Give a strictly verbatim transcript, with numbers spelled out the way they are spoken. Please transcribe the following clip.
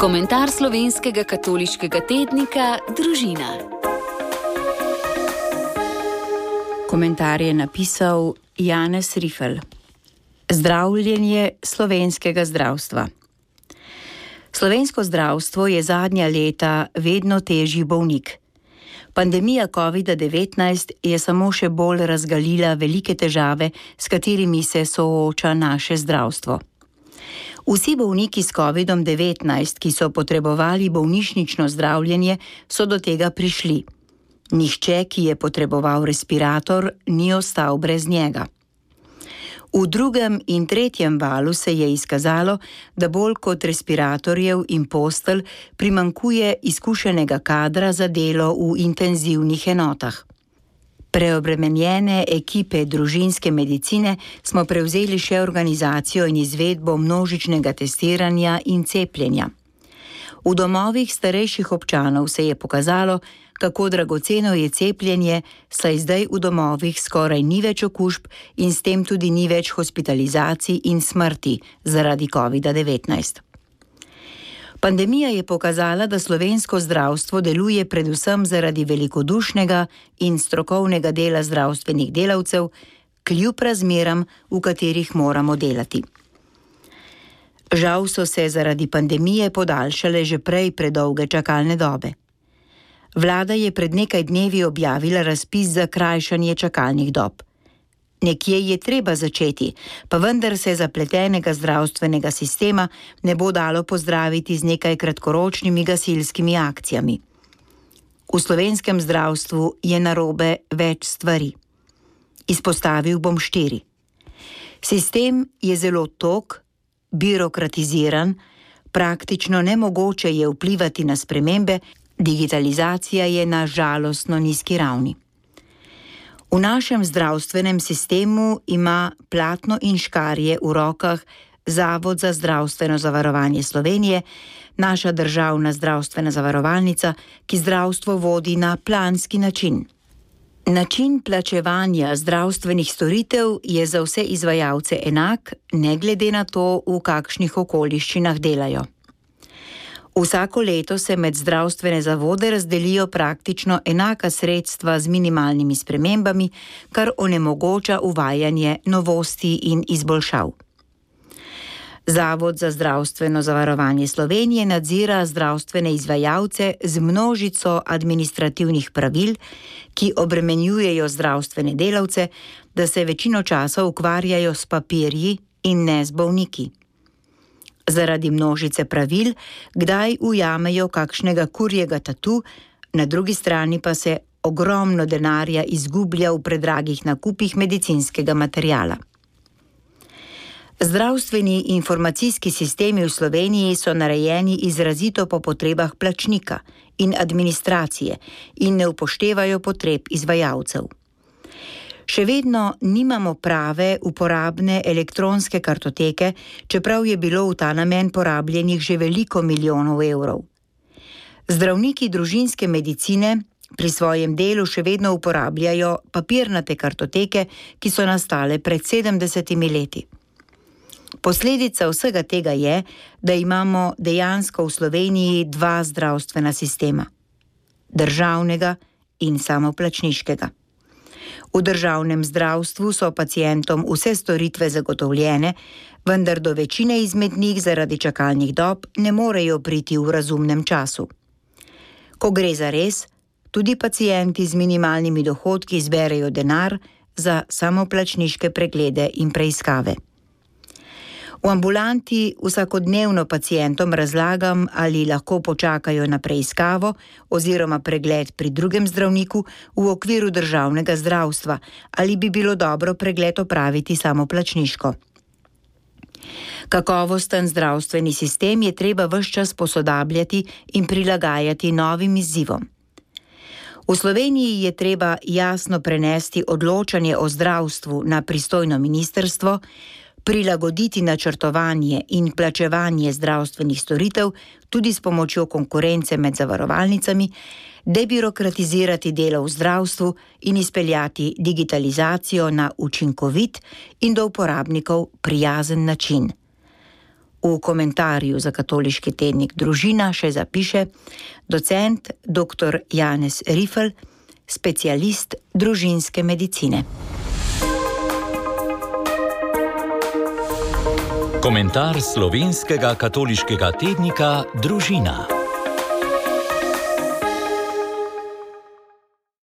Komentar slovenskega katoliškega tednika Družina. Komentar je napisal Janez Rifel. Zdravljenje slovenskega zdravstva. Slovensko zdravstvo je zadnja leta vedno težji bolnik. Pandemija kovida devetnajst je samo še bolj razgalila velike težave, s katerimi se sooča naše zdravstvo. Vsi bolniki s kovidom devetnajst, ki so potrebovali bolnišnično zdravljenje, so do tega prišli. Nihče, ki je potreboval respirator, ni ostal brez njega. V drugem in tretjem valu se je izkazalo, da bolj kot respiratorjev in postelj primanjkuje izkušenega kadra za delo v intenzivnih enotah. Preobremenjene ekipe družinske medicine smo prevzeli še organizacijo in izvedbo množičnega testiranja in cepljenja. V domovih starejših občanov se je pokazalo, kako dragoceno je cepljenje, saj zdaj v domovih skoraj ni več okužb in s tem tudi ni več hospitalizacij in smrti zaradi kovida devetnajst. Pandemija je pokazala, da slovensko zdravstvo deluje predvsem zaradi velikodušnega in strokovnega dela zdravstvenih delavcev, kljub razmeram, v katerih moramo delati. Žal so se zaradi pandemije podaljšale že prej predolge čakalne dobe. Vlada je pred nekaj dnevi objavila razpis za krajšanje čakalnih dob. Nekje je treba začeti, pa vendar se zapletenega zdravstvenega sistema ne bo dalo pozdraviti z nekaj kratkoročnimi gasilskimi akcijami. V slovenskem zdravstvu je narobe več stvari. Izpostavil bom štiri. Sistem je zelo tog, birokratiziran, praktično nemogoče je vplivati na spremembe, digitalizacija je na žalostno nizki ravni. V našem zdravstvenem sistemu ima platno in škarje v rokah Zavod za zdravstveno zavarovanje Slovenije, naša državna zdravstvena zavarovalnica, ki zdravstvo vodi na planski način. Način plačevanja zdravstvenih storitev je za vse izvajalce enak, ne glede na to, v kakšnih okoliščinah delajo. Vsako leto se med zdravstvene zavode razdelijo praktično enaka sredstva z minimalnimi spremembami, kar onemogoča uvajanje novosti in izboljšav. Zavod za zdravstveno zavarovanje Slovenije nadzira zdravstvene izvajalce z množico administrativnih pravil, ki obremenjujejo zdravstvene delavce, da se večino časa ukvarjajo s papirji in ne z bolniki. Zaradi množice pravil, kdaj ujamejo kakšnega kurjega tatu, na drugi strani pa se ogromno denarja izgublja v predragih nakupih medicinskega materiala. Zdravstveni informacijski sistemi v Sloveniji so narejeni izrazito po potrebah plačnika in administracije in ne upoštevajo potreb izvajalcev. Še vedno nimamo prave uporabne elektronske kartoteke, čeprav je bilo v ta namen porabljenih že veliko milijonov evrov. Zdravniki družinske medicine pri svojem delu še vedno uporabljajo papirnate kartoteke, ki so nastale pred sedemdesetimi leti. Posledica vsega tega je, da imamo dejansko v Sloveniji dva zdravstvena sistema: državnega in samoplačniškega. V državnem zdravstvu so pacientom vse storitve zagotovljene, vendar do večine izmed njih zaradi čakalnih dob ne morejo priti v razumnem času. Ko gre za res, tudi pacienti z minimalnimi dohodki zberejo denar za samoplačniške preglede in preiskave. V ambulanti vsakodnevno pacientom razlagam, ali lahko počakajo na preiskavo oziroma pregled pri drugem zdravniku v okviru državnega zdravstva, ali bi bilo dobro pregled opraviti samoplačniško. Kakovosten zdravstveni sistem je treba ves čas posodabljati in prilagajati novim izzivom. V Sloveniji je treba jasno prenesti odločanje o zdravstvu na pristojno ministrstvo, prilagoditi načrtovanje in plačevanje zdravstvenih storitev tudi s pomočjo konkurence med zavarovalnicami, debirokratizirati delo v zdravstvu in izpeljati digitalizacijo na učinkovit in do uporabnikov prijazen način. V komentarju za katoliški tednik Družina še zapiše docent doktor Janez Rifel, specialist družinske medicine. Komentar slovenskega katoliškega tednika Družina.